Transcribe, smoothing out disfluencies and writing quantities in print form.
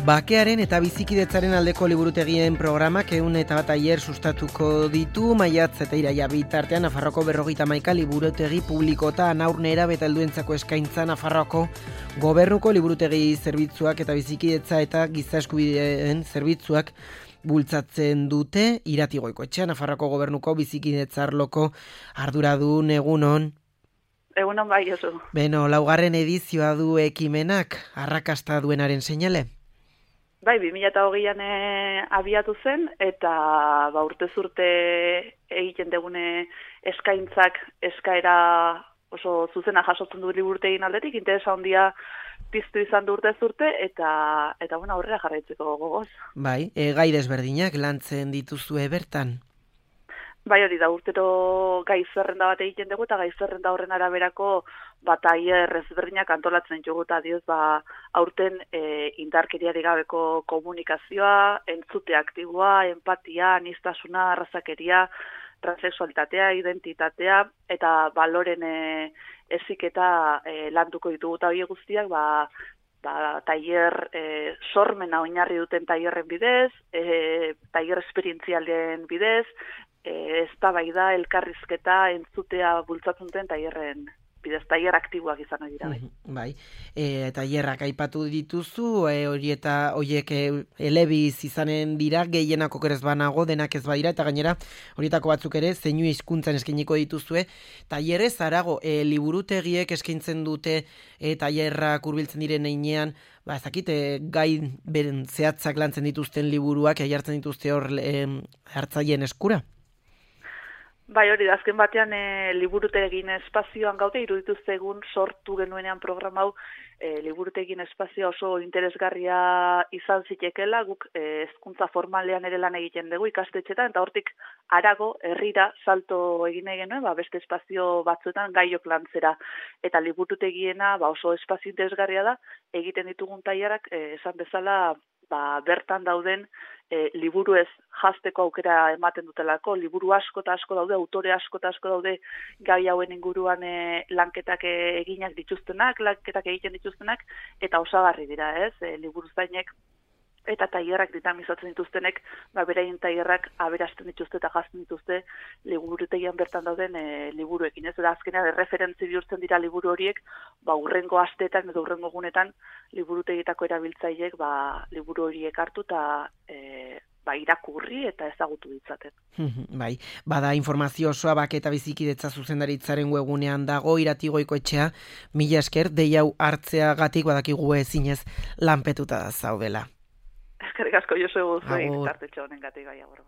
Bakearen eta bizikidetzaren aldeko liburutegien programak 101 tailer sustatuko ditu, maiatz eta iraila bitartean Nafarroako 51 liburutegi publikota haur nerabe eta helduentzako eskaintza Nafarroako Gobernuko liburutegi zerbitzuak eta bizikidetza eta giza eskubideen zerbitzuak bultzatzen dute. Irati Goikoetxea, Nafarroako Gobernuko bizikidetza arloko arduradun, egunon. Egunon bai, oso. Beno, 4. edizioa du ekimenak, arrakasta duenaren seinale? Bai, 2020an abiatu zen, eta urtez urte egiten degune eskaintzak eskaera oso zuzena jasotzen du liburutegien aldetik, interesa handia piztu izan du urtez urte, eta aurrera jarraitzeko gogoz. Bai, gai desberdinak lantzen dituzue bertan? Bai, hori da, urtero gai zerrenda bat egiten dugu, eta gai zerrenda horren araberako tailer ezberdinak antolatzen dugu, eta dioz, aurten indarkeriarik gabeko komunikazioa, entzute aktiboa, empatia, aniztasuna, arrazakeria, transexualitatea, identitatea, eta baloren heziketa landuko ditugu, eta hori guztiak, tailer sormena oinarri duten tailerren bidez, tailer esperientzialen bidez, eztabaida, elkarrizketa, entzutea bultzatzen duten tailerren bidez, tailer aktiboak izan dira. Bai, tailerrak aipatu dituzu, horiek elebiz izanen dira, gehienak okerez banago, denak ez badira, eta gainera horietako batzuk ere, zeinu hizkuntzan eskainiko dituzue. Tailerrez harago, liburutegiek eskaintzen dute tailerrak hurbiltzen diren heinean, ezakit, gai beren zehatzak lantzen dituzten liburuak, jartzen dituzte hor hartzaileen eskura? Bai, hori da, azken batean liburutegin espazioan gaude, iruditu zegun sortu genuenean programa hau liburutegin espazioa oso interesgarria izan zitekela, guk hezkuntza formalean ere lan egiten dugu ikastetxetan, eta hortik harago herrira salto egin nahi genuen, beste espazio batzuetan gaiok lantzera, eta liburutegiena oso espazio interesgarria da, egiten ditugun tailerak esan bezala bertan dauden liburu ez jazteko aukera ematen dutelako, liburu asko eta asko daude, autore asko eta asko daude gai hauen inguruan lanketak eginak dituztenak, lanketak egiten dituztenak, eta osagarri dira, liburuzainek eta tailerrak dinamizatzen dituztenek, beraien tailerrak aberasten dituzte eta jazten dituzte liburutegian bertan dauden liburuekin. Eta azkenean erreferentzi bihurtzen dira liburu horiek, hurrengo asteetan edo hurrengo egunetan liburutegietako erabiltzaileek liburu horiek hartu eta irakurri eta ezagutu ditzaten. Bai, bada informazio osoa Bake eta bizikidetza zuzendaritzaren webunean dago, Irati Goikoetxea, mila esker, dei hau hartzeagatik badakigu ezinez lanpetuta da zaudela. Eskerrik asko, Josu, zuek tartetxo honengatik gai agur.